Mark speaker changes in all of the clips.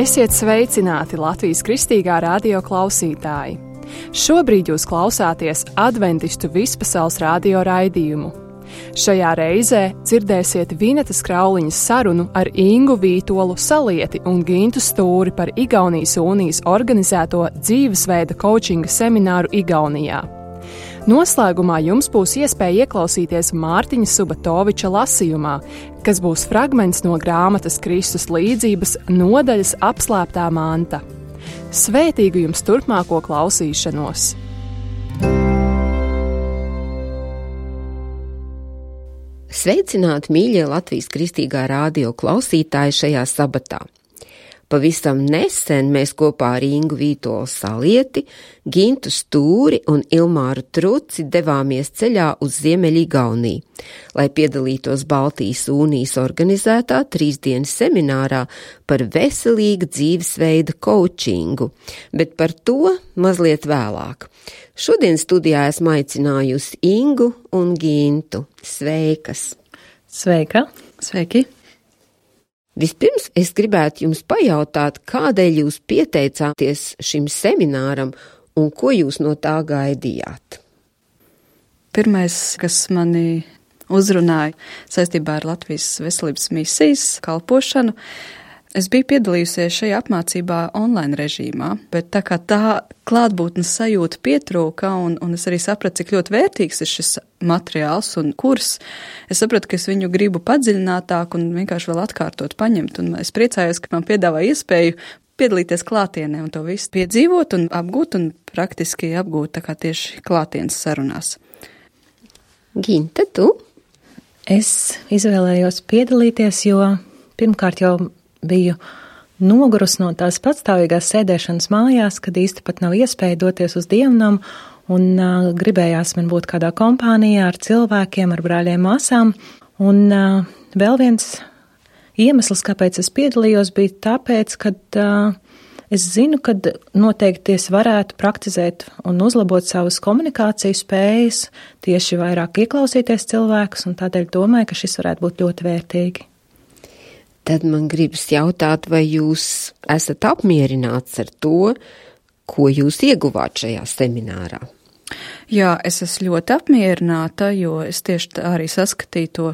Speaker 1: Esiet sveicināti Latvijas Kristīgā radio klausītāji! Šobrīd jūs klausāties Adventistu vispasaules radio raidījumu. Šajā reizē dzirdēsiet Vinetas Krauliņas sarunu ar Ingu Vītolu Salieti un Gintu Stūri par Igaunijas Unijas organizēto dzīvesveida koučinga semināru Igaunijā. Noslēgumā jums būs iespēja ieklausīties Mārtiņa Subatoviča lasījumā, kas būs fragments no grāmatas Kristus līdzības nodaļas Apslēptā manta. Svētīgu jums turpmāko klausīšanos!
Speaker 2: Sveicināti, mīļie Latvijas Kristīgā radio klausītāji šajā sabatā! Pavisam nesen mēs kopā ar Ingu Vītolu Salieti, Gintu Stūri un Ilmāru Truci devāmies ceļā uz Ziemeļigauniju, lai piedalītos Baltijas Unijas organizētā 3-dienas seminārā par veselīga dzīvesveida koučingu, bet par to mazliet vēlāk. Šodien studijā esmu aicinājusi Ingu un Gintu. Sveikas!
Speaker 3: Sveika! Sveiki!
Speaker 2: Vispirms es gribētu jums pajautāt, kādēļ jūs pieteicāties šim semināram un ko jūs no tā gaidījāt?
Speaker 3: Pirmais, kas mani uzrunāja saistībā ar Latvijas veselības misijas kalpošanu, es biju piedalījusies šajā apmācībā online režīmā, bet tā kā tā klātbūtnes sajūta pietrūka un es arī sapratu, cik ļoti vērtīgs ir šis materiāls un kurs, es sapratu, ka es viņu gribu padziļinātāk un vienkārši vēl atkārtot paņemt, un es priecājos, ka man piedāvā iespēju piedalīties klātienē un to visu piedzīvot un apgūt un praktiski apgūt tā kā tieši klātienes sarunās.
Speaker 2: Ginta, tu?
Speaker 4: Es izvēlējos piedalīties, jo pirmkārt jau biju nogurus no tās patstāvīgās sēdēšanas mājās, kad īsti pat nav iespēja doties uz dievnamu, un gribējās man būt kādā kompānijā ar cilvēkiem, ar brāļiem, māsām. Un vēl viens iemesls, kāpēc es piedalījos, bija tāpēc, ka es zinu, ka noteikti es varētu praktizēt un uzlabot savas komunikācijas spējas, tieši vairāk ieklausīties cilvēkus, un tādēļ domāju, ka šis varētu būt ļoti vērtīgi.
Speaker 2: Tad man gribas jautāt, vai jūs esat apmierināts ar to, ko jūs ieguvāt šajā seminārā?
Speaker 3: Jā, es esmu ļoti apmierināta, jo es tieši arī saskatīju to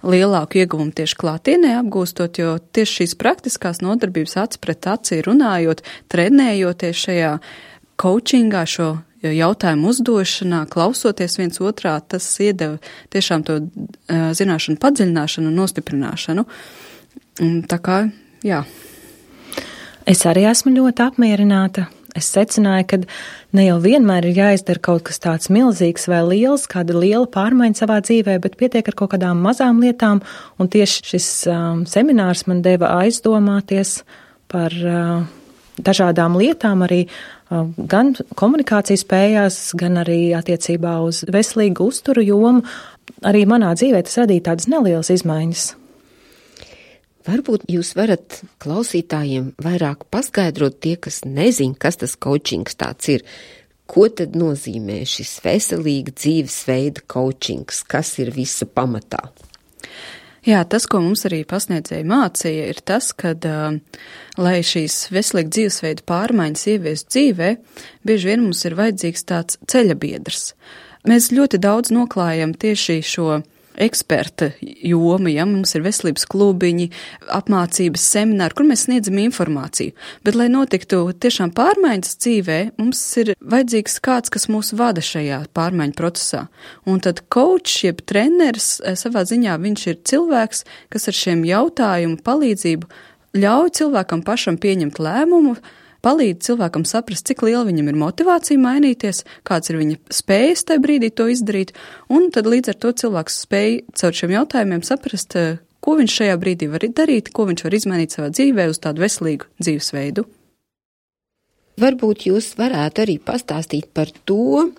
Speaker 3: lielāku ieguvumu tieši klātienē apgūstot, jo tieši šīs praktiskās nodarbības aci pret acī runājot, trenējoties šajā koučingā, šo jautājumu uzdošanā, klausoties viens otrā, tas iedeva tiešām to zināšanu padziļināšanu un nostiprināšanu. Tā kā, jā.
Speaker 4: Es arī esmu ļoti apmierināta. Es secināju, ka ne jau vienmēr ir jāizdara kaut kas tāds milzīgs vai liels, kāda liela pārmaiņa savā dzīvē, bet pietiek ar kaut kādām mazām lietām, un tieši šis seminārs man deva aizdomāties par dažādām lietām, arī gan komunikācijas spējās, gan arī attiecībā uz veselīgu uzturu jomu. Arī manā dzīvē tas radīja tādas nelielas izmaiņas.
Speaker 2: Varbūt jūs varat klausītājiem vairāk paskaidrot tie, kas nezin, kas tas koučings tāds ir. Ko tad nozīmē šis veselīga dzīvesveida koučings? Kas ir visa pamatā?
Speaker 3: Jā, tas, ko mums arī pasniedzēji mācīja, ir tas, ka, lai šīs veselīga dzīvesveida pārmaiņas ieviestu dzīvē, bieži vien mums ir vajadzīgs tāds ceļabiedrs. Mēs ļoti daudz noklājam tieši šo eksperta jomu, ja mums ir veselības klubiņi, apmācības semināri, kur mēs sniedzam informāciju. Bet, lai notiktu tiešām pārmaiņas dzīvē, mums ir vajadzīgs kāds, kas mūs vada šajā pārmaiņu procesā. Un tad coach, jeb treneris, savā ziņā viņš ir cilvēks, kas ar šiem jautājumu palīdzību ļauj cilvēkam pašam pieņemt lēmumu, palīdz cilvēkam saprast, cik liela viņam ir motivācija mainīties, kāds ir viņa spējas tajā brīdī to izdarīt, un tad līdz ar to cilvēks spēj caur šiem jautājumiem saprast, ko viņš šajā brīdī var darīt, ko viņš var izmainīt savā dzīvē uz tādu veselīgu dzīvesveidu.
Speaker 2: Varbūt jūs varētu arī pastāstīt par to,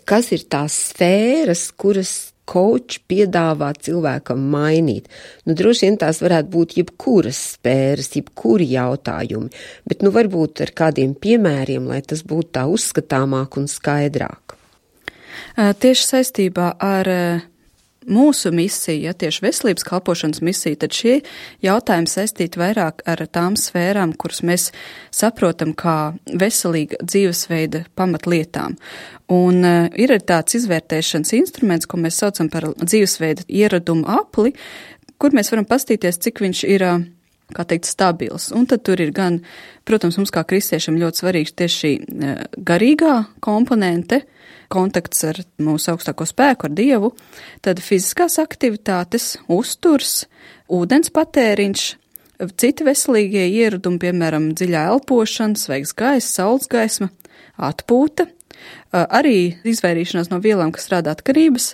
Speaker 2: kas ir tās sfēras, kuras coach piedāvā cilvēkam mainīt. Droši vien tās varētu būt jebkuras sfēras, jebkuri jautājumi, bet varbūt ar kādiem piemēriem, lai tas būtu tā uzskatāmāk un skaidrāk.
Speaker 3: Tieši saistībā ar mūsu misija, tieši veselības kalpošanas misija, tad šie jautājumi saistīti vairāk ar tām sfērām, kuras mēs saprotam kā veselīga dzīvesveida pamatlietām. Un ir tāds izvērtēšanas instruments, ko mēs saucam par dzīvesveida ieradumu apli, kur mēs varam pastīties, cik viņš ir, kā teikt, stabils. Un tad tur ir gan, protams, mums kā kristiešiem ļoti svarīgs tieši šī garīgā komponente, kontakts ar mūsu augstāko spēku, ar Dievu, tad fiziskās aktivitātes, uzturs, ūdens patēriņš, citi veselīgie ieradumi, piemēram, dziļā elpošana, svaigs gaiss, saules gaisma, atpūta, arī izvairīšanās no vielām, kas rada atkarības,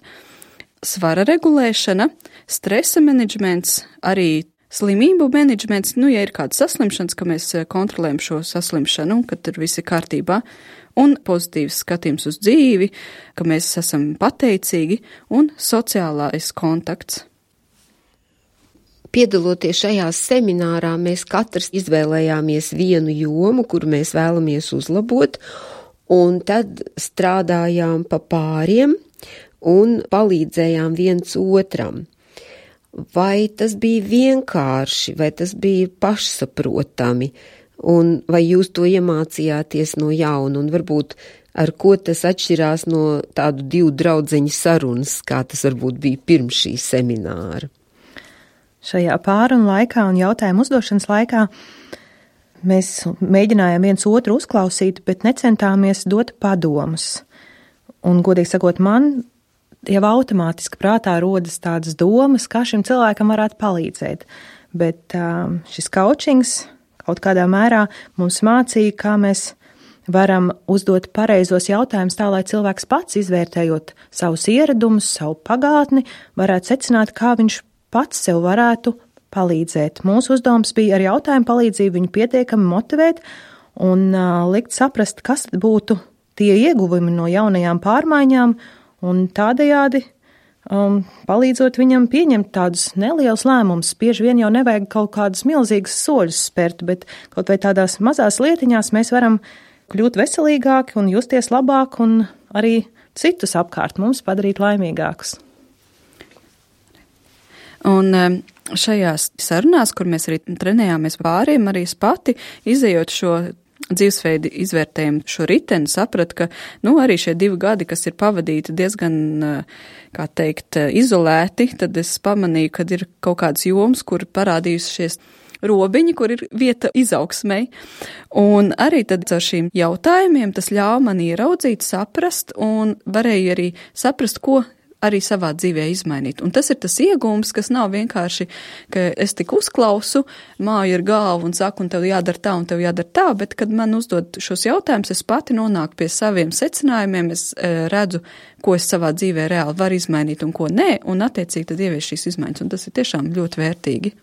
Speaker 3: svara regulēšana, stresa menedžments, arī slimību menedžments, ja ir kāda saslimšanas, ka mēs kontrolējam šo saslimšanu, ka tur viss ir kārtībā, un pozitīvs skatījums uz dzīvi, ka mēs esam pateicīgi, un sociālais kontakts.
Speaker 2: Piedaloties šajā seminārā, mēs katrs izvēlējāmies vienu jomu, kuru mēs vēlamies uzlabot, un tad strādājām pa pāriem un palīdzējām viens otram. Vai tas bija vienkārši, vai tas bija pašsaprotami, un vai jūs to iemācījāties no jauna, un varbūt ar ko tas atšķirās no tādu divu draudzeņu sarunas, kā tas varbūt bija pirms šī semināra?
Speaker 4: Šajā pārunu laikā un jautājumu uzdošanas laikā mēs mēģinājām viens otru uzklausīt, bet necentāmies dot padomus. Un, godīgi sakot, man jau automātiski prātā rodas tādas domas, kā šim cilvēkam varētu palīdzēt. Bet šis coachings kaut kādā mērā mums mācīja, kā mēs varam uzdot pareizos jautājumus tā, lai cilvēks pats, izvērtējot savus ieradumus, savu pagātni, varētu secināt, kā viņš pats sev varētu palīdzēt. Mūsu uzdevums bija ar jautājumu palīdzību viņu pietiekami motivēt un likt saprast, kas būtu tie ieguvumi no jaunajām pārmaiņām, un tādējādi palīdzot viņam pieņemt tādus nelielus lēmumus. Bieži vien jau nevajag kaut kādus milzīgus soļus spērt, bet kaut vai tādās mazās lietiņās mēs varam kļūt veselīgāki un justies labāk un arī citus apkārt mums padarīt laimīgākus.
Speaker 3: Un šajās sarunās, kur mēs arī trenējāmies pāriem, arī es pati, izejot šo dzīvesveidu izvērtējumu šo riteni, sapratu, ka, arī šie 2 gadi, kas ir pavadīti diezgan, kā teikt, izolēti, tad es pamanīju, ka ir kaut kādas jomas, kur parādījušies robiņi, kur ir vieta izaugsmei. Un arī tad ar šīm jautājumiem tas ļauj man ieraudzīt, saprast un varēju arī saprast, ko arī savā dzīvē izmainīt. Un tas ir tas iegūms, kas nav vienkārši, ka es tik uzklausu, māju ar galvu un saku, un tev jādara tā, un tev jādara tā, bet kad man uzdod šos jautājumus, es pati nonāku pie saviem secinājumiem, es redzu, ko es savā dzīvē reāli varu izmainīt un ko nē, un attiecīgi tad ievieš šīs izmaiņas, un tas ir tiešām ļoti vērtīgi.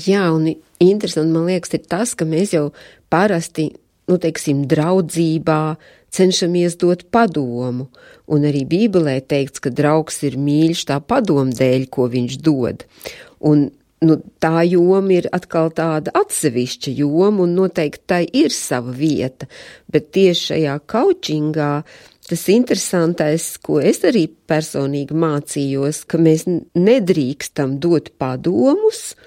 Speaker 2: Jā, un interesanti, man liekas, ir tas, ka mēs jau parasti, draudzībā cenšamies dot padomu, un arī Bībelē teikts, ka draugs ir mīļš tā padomu dēļ, ko viņš dod. Un tā joma ir atkal tāda atsevišķa joma, un noteikti tai ir sava vieta, bet tieši šajā coachingā tas interesantais, ko es arī personīgi mācījos, ka mēs nedrīkstam dot padomus,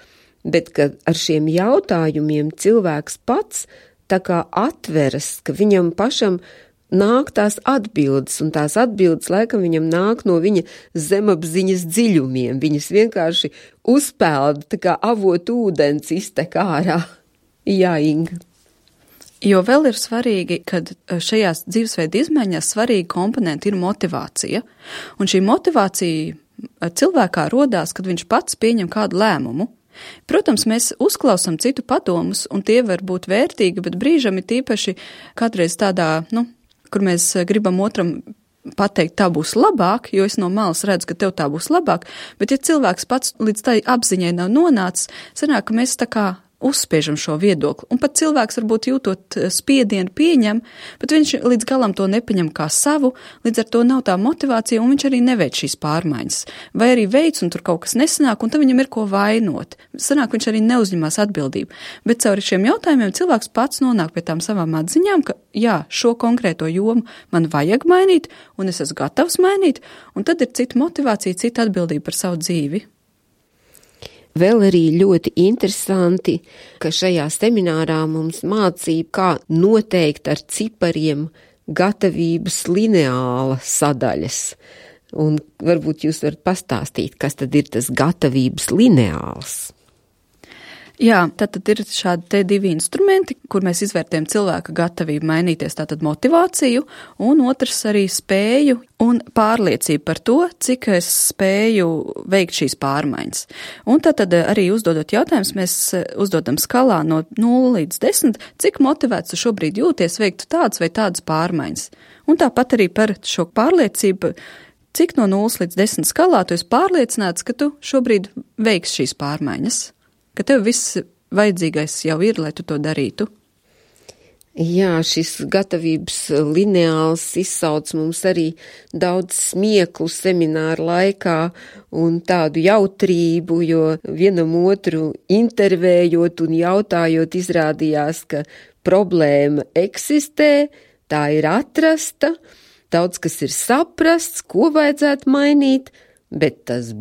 Speaker 2: bet ka ar šiem jautājumiem cilvēks pats tā kā atveras, ka viņam pašam nāk tās atbildes, un tās atbildes laikam viņam nāk no viņa zemapziņas dziļumiem. Viņas vienkārši uzpelda, tā kā avot ūdens iztek ārā. Jā, Inga.
Speaker 3: Jo vēl ir svarīgi, kad šajās dzīvesveida izmaiņās svarīga komponenta ir motivācija. Un šī motivācija cilvēkā rodās, kad viņš pats pieņem kādu lēmumu. Protams, mēs uzklausām citu padomus, un tie var būt vērtīgi, bet brīžam ir tīpaši kādreiz tādā, kur mēs gribam otram pateikt, tā būs labāk, jo es no malas redzu, ka tev tā būs labāk, bet ja cilvēks pats līdz tai apziņai nav nonācis, sanāk, ka mēs tā kā uzspiežam šo viedokli. Un pat cilvēks varbūt jūtot spiedienu pieņem, bet viņš līdz galam to nepieņem kā savu, līdz ar to nav tā motivācija, un viņš arī neveic šīs pārmaiņas. Vai arī veic, un tur kaut kas nesanāk, un tad viņam ir ko vainot. Sanāk, viņš arī neuzņemās atbildību. Bet caur šiem jautājumiem cilvēks pats nonāk pie tām savām atziņām, ka jā, šo konkrēto jomu man vajag mainīt, un es esmu gatavs mainīt, un tad ir cita motivācija, cita atbildība par savu dzīvi.
Speaker 2: Vēl arī ļoti interesanti, ka šajā seminārā mums mācīja, kā noteikt ar cipariem gatavības lineāla sadaļas. Un varbūt jūs varat pastāstīt, kas tad ir tas gatavības lineāls?
Speaker 3: Jā, tad ir šādi te divi instrumenti, kur mēs izvērtējam cilvēka gatavību mainīties, tātad motivāciju, un otrs arī spēju un pārliecību par to, cik es spēju veikt šīs pārmaiņas. Un tad arī uzdodot jautājumus, mēs uzdodam skalā no 0 līdz 10, cik motivēts tu šobrīd jūties veikt tādas vai tādas pārmaiņas. Un tāpat arī par šo pārliecību, cik no 0 līdz 10 skalā tu esi pārliecināts, ka tu šobrīd veiksi šīs pārmaiņas. Ka tev viss vajadzīgais jau ir, lai tu to darītu?
Speaker 2: Jā, šis gatavības lineāls izsauc mums arī daudz smieklu semināru laikā un tādu jautrību, jo vienam otru intervējot un jautājot izrādījās, ka problēma eksistē, tā ir atrasta, daudz kas ir saprasts, ko vajadzētu mainīt, bet tas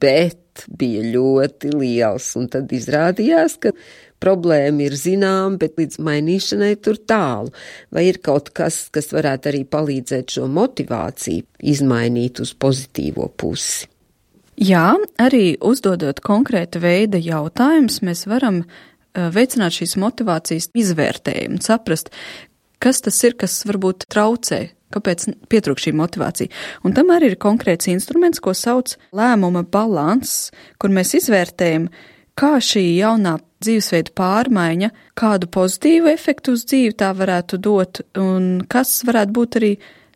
Speaker 2: bet bija ļoti liels, un tad izrādījās, ka problēma ir zinām, bet līdz mainīšanai tur tālu. Vai ir kaut kas, kas varētu arī palīdzēt šo motivāciju izmainīt uz pozitīvo pusi?
Speaker 3: Jā, arī uzdodot konkrēta veida jautājumus, mēs varam veicināt šīs motivācijas izvērtējumu, saprast, kas tas ir, kas varbūt traucē. Kāpēc pietrūk šī motivācija? Un tam arī ir konkrēts instruments, ko sauc lēmuma balanss, kur mēs izvērtējam, kā šī jaunā dzīvesveida pārmaiņa, kādu pozitīvu efektu uz dzīvi tā varētu dot, un kas varētu būt arī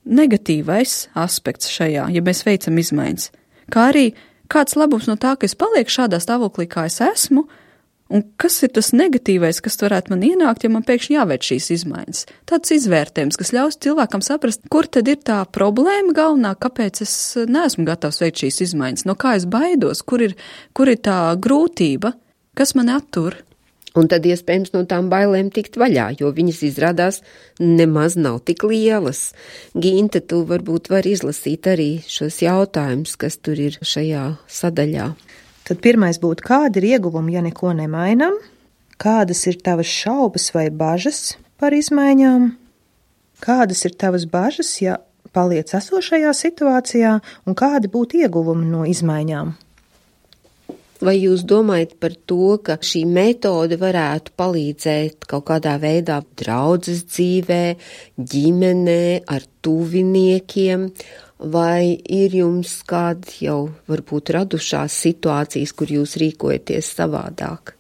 Speaker 3: negatīvais aspekts šajā, ja mēs veicam izmaiņas. Kā arī kāds labums no tā, ka es palieku šādā stāvoklī, kā es esmu, un kas ir tas negatīvais, kas varētu man ienākt, ja man pēkšņi jāveic šīs izmaiņas? Tāds izvērtējums, kas ļaus cilvēkam saprast, kur tad ir tā problēma galvenā, kāpēc es neesmu gatavs veikt šīs izmaiņas, no kā es baidos, kur ir tā grūtība, kas mani attur.
Speaker 2: Un tad iespējams no tām bailēm tikt vaļā, jo viņas izrādās nemaz nav tik lielas. Ginta, tu varbūt vari izlasīt arī šos jautājumus, kas tur ir šajā sadaļā.
Speaker 4: Tad pirmais būtu, kādi ir ieguvumi, ja neko nemainam? Kādas ir tavas šaubas vai bažas par izmaiņām? Kādas ir tavas bažas, ja paliec esošajā situācijā? Un kādi būtu ieguvumi no izmaiņām?
Speaker 2: Vai jūs domājat par to, ka šī metode varētu palīdzēt kaut kādā veidā draudzes dzīvē, ģimenē, ar tuviniekiem? Vai ir jums kādi jau varbūt radušās situācijas, kur jūs rīkojaties savādāk?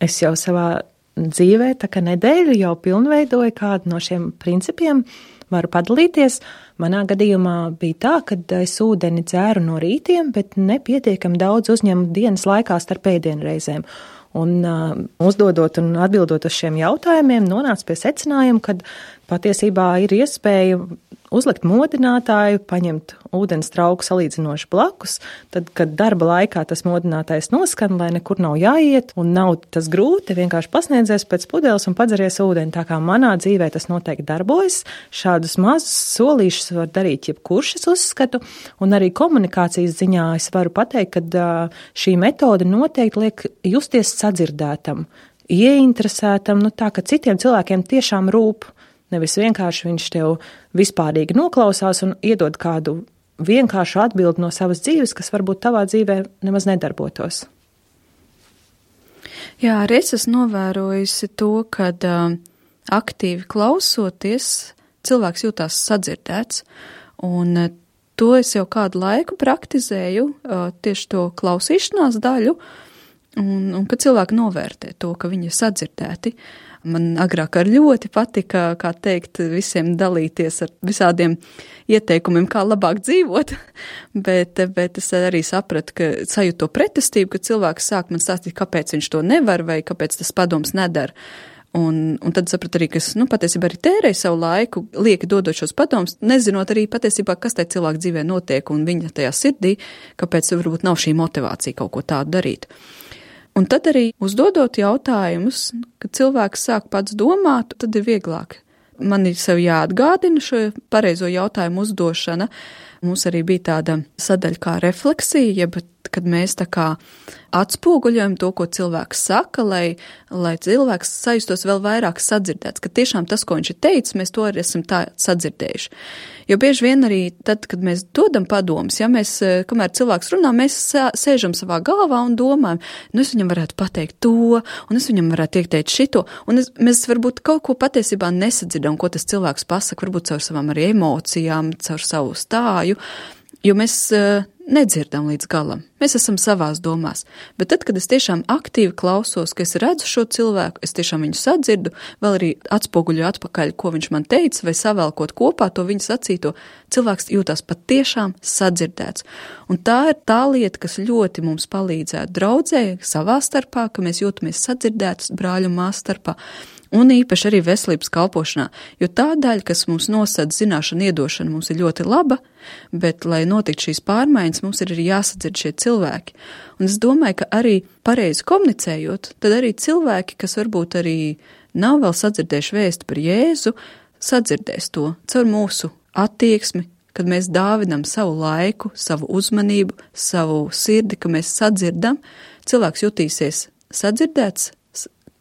Speaker 4: Es jau savā dzīvē, tā kā nedēļu jau pilnveidoju kādu no šiem principiem, varu padalīties. Manā gadījumā bija tā, ka es ūdeni dzēru no rītiem, bet nepietiekami daudz uzņemu dienas laikā starp ēdienreizēm. Un uzdodot un atbildot uz šiem jautājumiem, nonāca pie secinājuma, ka patiesībā ir iespēja uzlikt modinātāju, paņemt ūdens trauku salīdzinoši blakus, tad, kad darba laikā tas modinātājs noskan, lai nekur nav jāiet un nav tas grūti, vienkārši pasniedzies pēc pudeles un padzeries ūdeni. Tā kā manā dzīvē tas noteikti darbojas, šādus mazus solīšus var darīt jebkurš, es uzskatu, un arī komunikācijas ziņā es varu pateikt, ka šī metode noteikti liek justies sadzirdētam, ieinteresētam, tā, ka citiem cilvēkiem tiešām rūp. Nevis vienkārši viņš tev vispārīgi noklausās un iedod kādu vienkāršu atbildi no savas dzīves, kas varbūt tavā dzīvē nemaz nedarbotos.
Speaker 3: Jā, arī es esmu novērojusi to, kad aktīvi klausoties, cilvēks jūtās sadzirdēts, un to es jau kādu laiku praktizēju, tieši to klausīšanās daļu, un kad cilvēki novērtē to, ka viņi ir sadzirdēti. Man agrāk ar ļoti patika, kā teikt, visiem dalīties ar visādiem ieteikumiem, kā labāk dzīvot, bet es arī sapratu, ka sajūtu to pretestību, ka cilvēks sāk man stāstīt, kāpēc viņš to nevar vai kāpēc tas padoms nedara. Un tad sapratu arī, ka es, patiesībā arī tērēju savu laiku, lieki dodot šos padomus, nezinot arī patiesībā, kas tai cilvēku dzīvē notiek un viņa tajā sirdī, kāpēc varbūt nav šī motivācija kaut ko tādu darīt. Un tad arī uzdodot jautājumus, kad cilvēks sāk pats domāt, tad ir vieglāk. Man ir sev jāatgādina šo pareizo jautājumu uzdošana. Mums arī bija tāda sadaļa kā refleksija, bet kad mēs tā kā atspoguļojam to, ko cilvēks saka, lai cilvēks sajustos vēl vairāk sadzirdēts, ka tiešām tas, ko viņš ir teicis, mēs to arī esam tā sadzirdējuši. Jo bieži vien arī tad, kad mēs dodam padomus, ja mēs, kamēr cilvēks runā, mēs sēžam savā galvā un domājam, es viņam varētu pateikt to, un es viņam varētu ieteikt šito, un mēs varbūt kaut ko patiesībā nesadzirdam, ko tas cilvēks pasaka, varbūt caur savām arī emocijām, caur savu stāju, jo mēs nedzirdam līdz galam. Mēs esam savās domās. Bet tad, kad es tiešām aktīvi klausos, ka es redzu šo cilvēku, es tiešām viņu sadzirdu, vēl arī atspoguļu atpakaļ, ko viņš man teica, vai savēlkot kopā to viņa sacīto, cilvēks jūtās pat tiešām sadzirdēts. Un tā ir tā lieta, kas ļoti mums palīdzētu draudzē savā starpā, ka mēs jūtamies sadzirdētus brāļu un māsu starpā. Un īpaši arī veselības kalpošanā, jo tā daļa, kas mums nosada zināšanu iedošana, mums ir ļoti laba, bet, lai notiktu šīs pārmaiņas, mums ir arī jāsadzird šie cilvēki. Un es domāju, ka arī pareizi komunicējot, tad arī cilvēki, kas varbūt arī nav vēl sadzirdējuši vēstu par Jēzu, sadzirdēs to caur mūsu attieksmi, kad mēs dāvinam savu laiku, savu uzmanību, savu sirdi, ka mēs sadzirdam, cilvēks jutīsies sadzirdēts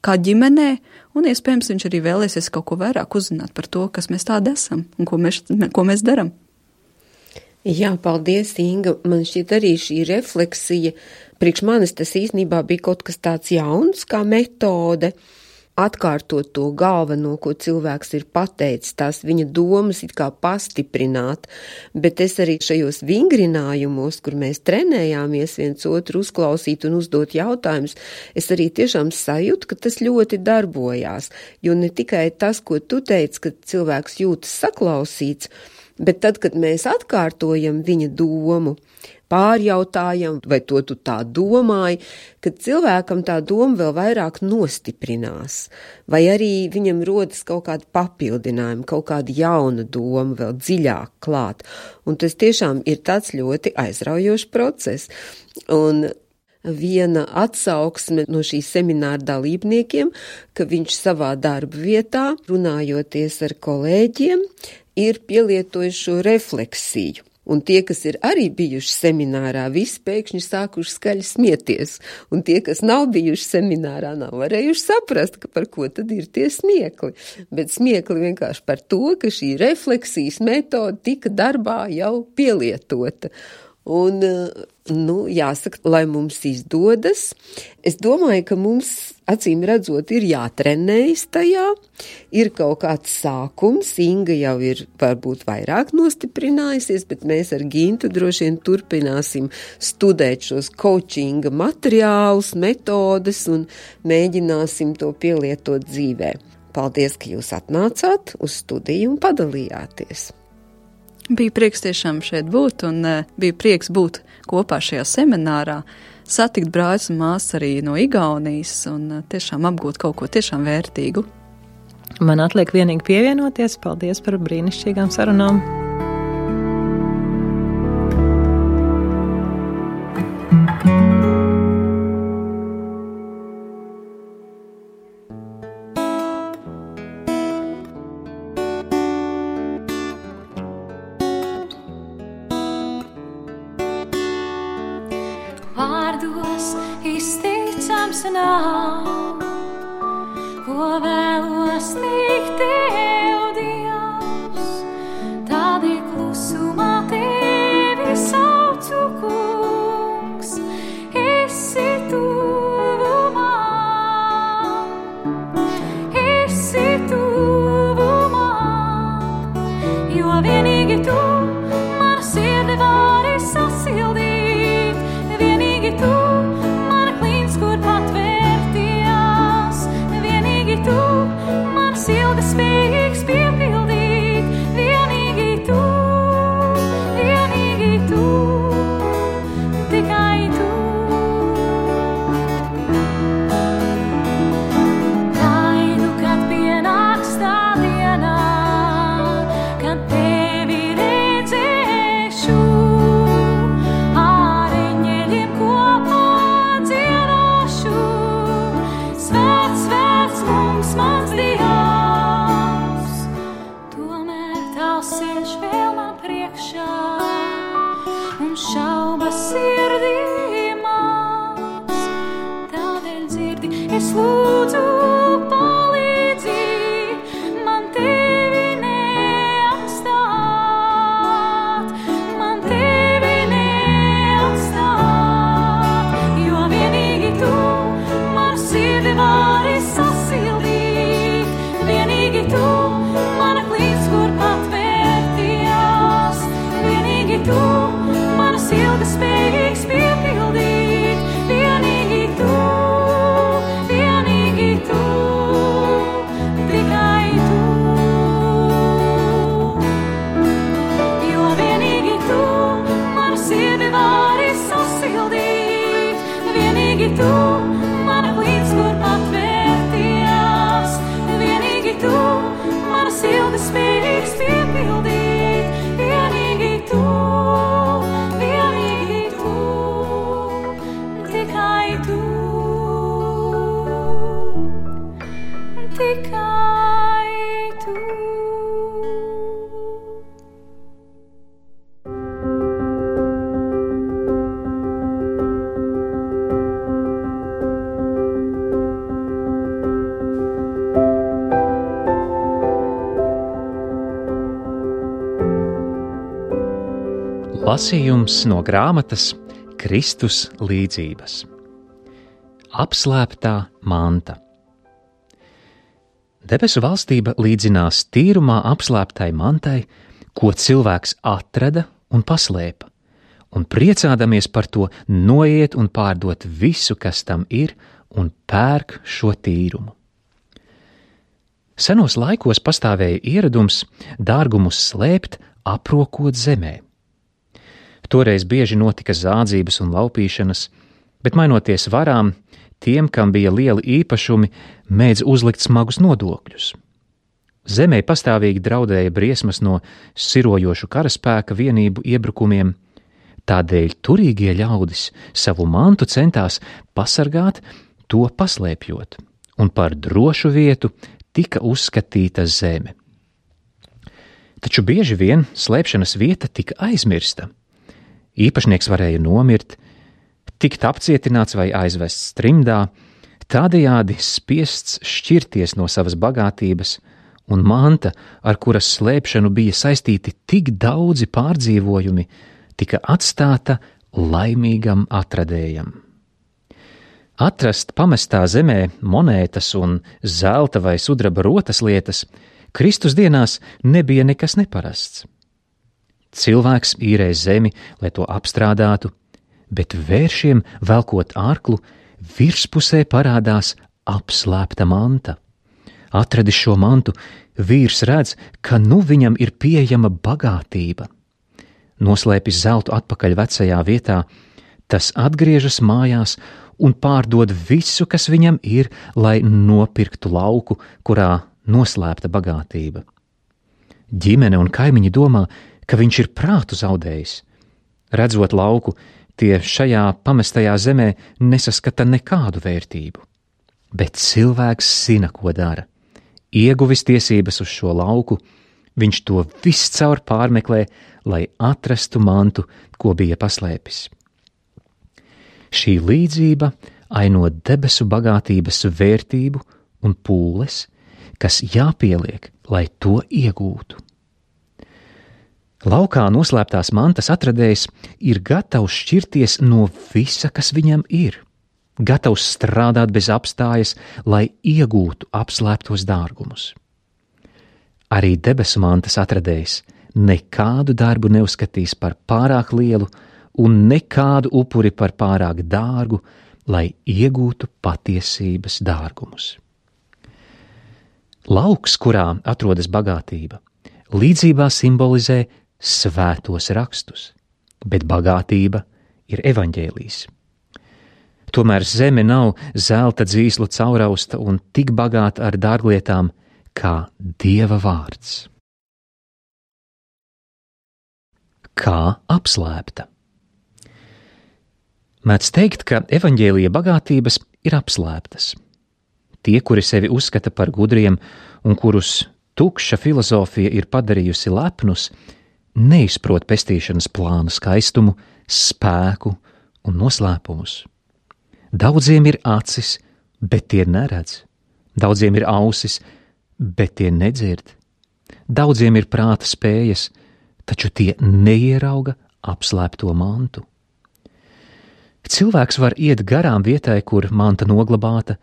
Speaker 3: kā ģimenē, un iespējams viņš arī vēlēsies kaut ko vairāk uzzināt par to, kas mēs tādi esam un ko mēs daram.
Speaker 2: Jā, paldies, Inga. Man šķiet arī šī refleksija, priekš manis tas īstenībā bija kaut kas tāds jauns kā metode, atkārtot to galveno, ko cilvēks ir pateicis, tās viņa domas it kā pastiprināt, bet es arī šajos vingrinājumos, kur mēs trenējāmies viens otru uzklausīt un uzdot jautājumus, es arī tiešām sajūtu, ka tas ļoti darbojās, jo ne tikai tas, ko tu teici, ka cilvēks jūtas saklausīts, bet tad, kad mēs atkārtojam viņa domu, pārjautājam, vai to tu tā domāji, kad cilvēkam tā doma vēl vairāk nostiprinās, vai arī viņam rodas kaut kāda papildinājuma, kaut kāda jauna doma vēl dziļāk klāt. Un tas tiešām ir tāds ļoti aizraujošs process. Un viena atsauksme no šīs semināra dalībniekiem, ka viņš savā darba vietā, runājoties ar kolēģiem, ir pielietojis šo refleksiju. Un tie, kas ir arī bijuši seminārā, visi pēkšņi sākuši skaļi smieties. Un tie, kas nav bijuši seminārā, nav varējuši saprast, ka par ko tad ir tie smiekli. Bet smiekli vienkārši par to, ka šī refleksijas metode tika darbā jau pielietota. Un, jāsaka, lai mums izdodas, es domāju, ka mums, acīm redzot, ir jātrenējas tajā, ir kaut kāds sākums, Inga jau ir varbūt vairāk nostiprinājusies, bet mēs ar Gintu droši vien turpināsim studēt šos coachinga materiālus, metodes un mēģināsim to pielietot dzīvē. Paldies, ka jūs atnācāt uz studiju un padalījāties.
Speaker 3: Bija prieks tiešām šeit būt un bija prieks būt kopā šajā seminārā, satikt brāļus un māsas arī no Igaunijas un tiešām apgūt kaut ko tiešām vērtīgu.
Speaker 4: Man atliek vienīgi pievienoties. Paldies par brīnišķīgām sarunām.
Speaker 5: Vārdos izticams nav, ko vēlos teikt tev, Dievs, tādēļ klusumā tevi saucu, kungs, esi tuvumā, jo vienīgi tu manu sirdi vari sasildīt. Tu, mana klīns, kur patvērtījās, vienīgi tu es lūdzu palīdzi, man tevi neatstāt, man tevi neatstāt, jo vienīgi tu man sirdi vari sasildīt, vienīgi tu mana klīns, kur patvērtījās, vienīgi tu manas ilgas spējīgs piepildīt, vienīgi tu, tikai tu, jo vienīgi tu manu sirdi vari sasildīt, vienīgi tu mana klīns, kur patvērtījās, vienīgi tu manas ilgas spējīgs piepildīt, vienīgi tu, tikai tu, tikai tu.
Speaker 6: Lasījums no grāmatas Kristus līdzības. Apslēptā manta. Debesu valstība līdzinās tīrumā apslēptai mantai, ko cilvēks atrada un paslēpa, un priecādamies par to noiet un pārdot visu, kas tam ir, un pērk šo tīrumu. Senos laikos pastāvēja ieradums dārgumus slēpt, aprokot zemē. Toreiz bieži notika zādzības un laupīšanas, bet mainoties varām, tiem, kam bija lieli īpašumi, mēdz uzlikt smagus nodokļus. Zemē pastāvīgi draudēja briesmas no sirojošu karaspēka vienību iebrukumiem, tādēļ turīgie ļaudis savu mantu centās pasargāt, to paslēpjot, un par drošu vietu tika uzskatīta zeme. Taču bieži vien slēpšanas vieta tika aizmirsta. Īpašnieks varēja nomirt, tikt apcietināts vai aizvests trimdā, tādējādi spiests šķirties no savas bagātības, un manta, ar kuras slēpšanu bija saistīti tik daudzi pārdzīvojumi, tika atstāta laimīgam atradējam. Atrast pamestā zemē monētas un zelta vai sudraba rotas lietas Kristus dienās nebija nekas neparasts. Cilvēks īrē zemi, lai to apstrādātu, bet vēršiem velkot ārklu, virspusē parādās apslēpta manta. Atradis šo mantu, vīrs redz, ka nu viņam ir pieejama bagātība. Noslēpis zeltu atpakaļ vecajā vietā, tas atgriežas mājās un pārdod visu, kas viņam ir, lai nopirktu lauku, kurā noslēpta bagātība. Ģimene un kaimiņi domā, ka viņš ir prātu zaudējis. Redzot lauku, tie šajā pamestajā zemē nesaskata nekādu vērtību. Bet cilvēks zina, ko dara. Ieguvis tiesības uz šo lauku, viņš to viscaur pārmeklē, lai atrastu mantu, ko bija paslēpis. Šī līdzība aino debesu bagātības vērtību un pūles, kas jāpieliek, lai to iegūtu. Laukā noslēptās mantas atradējs ir gatavs šķirties no visa, kas viņam ir, gatavs strādāt bez apstājas, lai iegūtu apslēptos dārgumus. Arī debesu mantas atradējs nekādu darbu neuzskatīs par pārāk lielu un nekādu upuri par pārāk dārgu, lai iegūtu patiesības dārgumus. Lauks, kurā atrodas bagātība, līdzībā simbolizē svētos rakstus, bet bagātība ir evaņģēlijs. Tomēr zeme nav zelta dzīslu caurausta un tik bagāta ar dārglietām kā Dieva vārds. Kā apslēpta? Mēdz teikt, ka evaņģēlija bagātības ir apslēptas. Tie, kuri sevi uzskata par gudriem un kurus tukša filozofija ir padarījusi lepnus, neizprot pestīšanas plāna skaistumu, spēku un noslēpumus. Daudziem ir acis bet tie neredz. Daudziem ir ausis, bet tie nedzird. Daudziem ir prāta spējas, taču tie neierauga apslēpto mantu. Cilvēks var iet garām vietai, kur manta noglabāta,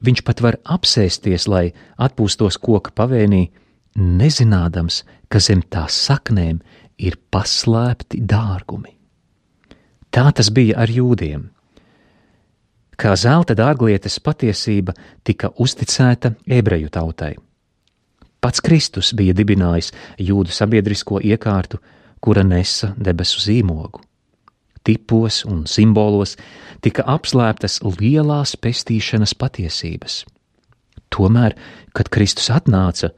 Speaker 6: viņš pat var apsēsties, lai atpūstos koka pavēnī, nezinādams, ka zem tās saknēm ir paslēpti dārgumi. Tā tas bija ar jūdiem. Kā zelta dārglietes patiesība tika uzticēta ebreju tautai. Pats Kristus bija dibinājis jūdu sabiedrisko iekārtu, kura nesa debesu zīmogu. Tipos un simbolos tika apslēptas lielās pestīšanas patiesības. Tomēr, kad Kristus atnāca,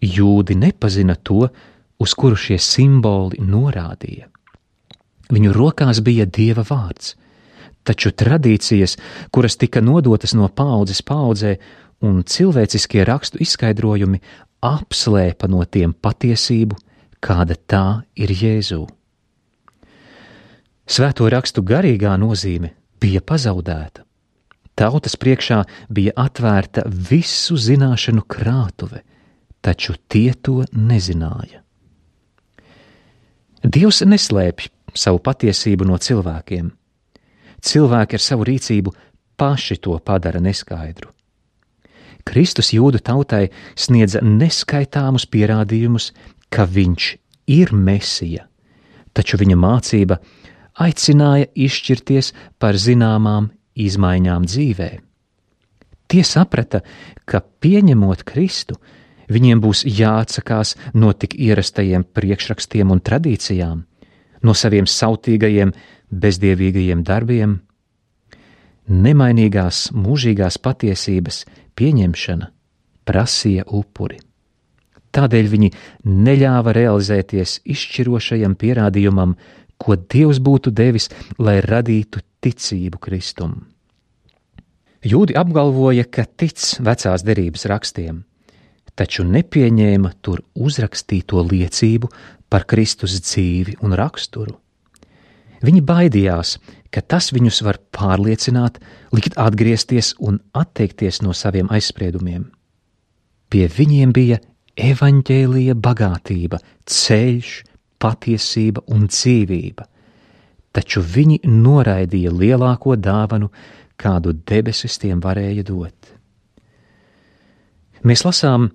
Speaker 6: jūdi nepazina to, uz kuru šie simboli norādīja. Viņu rokās bija Dieva vārds, taču tradīcijas, kuras tika nodotas no paaudzes paaudzē, un cilvēciskie rakstu izskaidrojumi apslēpa no tiem patiesību, kāda tā ir Jēzū. Svēto rakstu garīgā nozīme bija pazaudēta. Tautas priekšā bija atvērta visu zināšanu krātuve, taču tie to nezināja. Dievs neslēpj savu patiesību no cilvēkiem. Cilvēki ar savu rīcību paši to padara neskaidru. Kristus jūdu tautai sniedza neskaitāmus pierādījumus, ka viņš ir Mesija, taču viņa mācība aicināja izšķirties par zināmām izmaiņām dzīvē. Tie saprata, ka pieņemot Kristu, viņiem būs jāatsakās no tik ierastajiem priekšrakstiem un tradīcijām, no saviem sautīgajiem, bezdievīgajiem darbiem. Nemainīgās mūžīgās patiesības pieņemšana prasīja upuri. Tādēļ viņi neļāva realizēties izšķirošajam pierādījumam, ko Dievs būtu devis, lai radītu ticību Kristum. Jūdi apgalvoja, ka tic vecās derības rakstiem, taču nepieņēma tur uzrakstīto liecību par Kristus dzīvi un raksturu. Viņi baidījās, ka tas viņus var pārliecināt, likt atgriezties un atteikties no saviem aizspriedumiem. Pie viņiem bija evaņģēlija bagātība, ceļš, patiesība un dzīvība, taču viņi noraidīja lielāko dāvanu, kādu debesis tiem varēja dot. Mēs lasām,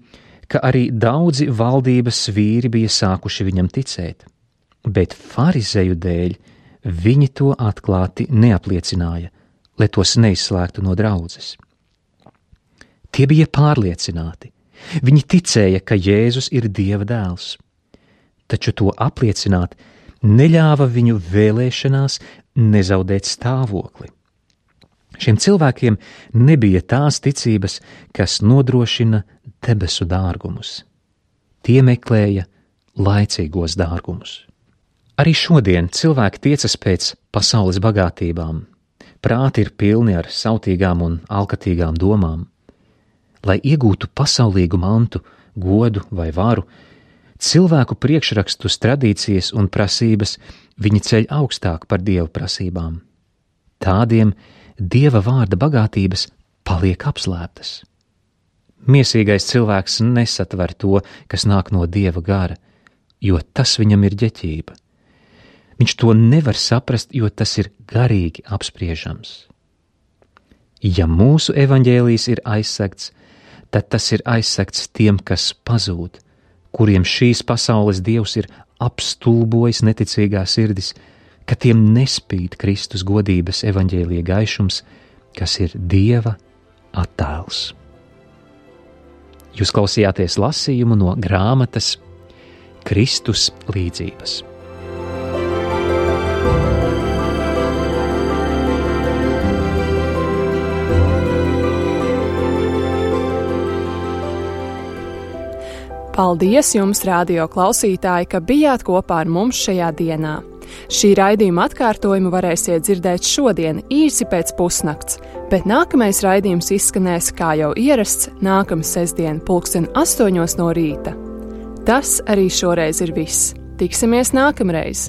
Speaker 6: ka arī daudzi valdības vīri bija sākuši viņam ticēt, bet farizeju dēļ viņi to atklāti neapliecināja, lai tos neizslēgtu no draudzes. Tie bija pārliecināti. Viņi ticēja, ka Jēzus ir Dieva dēls, taču to apliecināt neļāva viņu vēlēšanās nezaudēt stāvokli. Šiem cilvēkiem nebija tās ticības, kas nodrošina debesu dārgumus. Tie meklēja laicīgos dārgumus. Arī šodien cilvēki tiecas pēc pasaules bagātībām. Prāti ir pilni ar sautīgām un alkatīgām domām. Lai iegūtu pasaulīgu mantu, godu vai varu, cilvēku priekšrakstus, tradīcijas un prasības viņi ceļ augstāk par Dieva prasībām. Tādiem Dieva vārda bagātības paliek apslēptas. Miesīgais cilvēks nesatver to, kas nāk no Dieva gara, jo tas viņam ir ģeķība. Viņš to nevar saprast, jo tas ir garīgi apspriežams. Ja mūsu evaņģēlijs ir aizsegts, tad tas ir aizsegts tiem, kas pazūd, kuriem šīs pasaules dievs ir apstulbojis neticīgā sirdis, ka tiem nespīd Kristus godības evaņģēlija gaišums, kas ir Dieva attēls. Jūs klausījāties lasījumu no grāmatas Kristus līdzības.
Speaker 1: Paldies jums, radio klausītāji, ka bijāt kopā ar mums šajā dienā. Šī raidījuma atkārtojumu varēsiet dzirdēt šodien īsi pēc pusnakts, bet nākamais raidījums izskanēs, kā jau ierasts, nākamā sestdien 8:00 no rīta. Tas arī šoreiz ir viss. Tiksimies nākamreiz!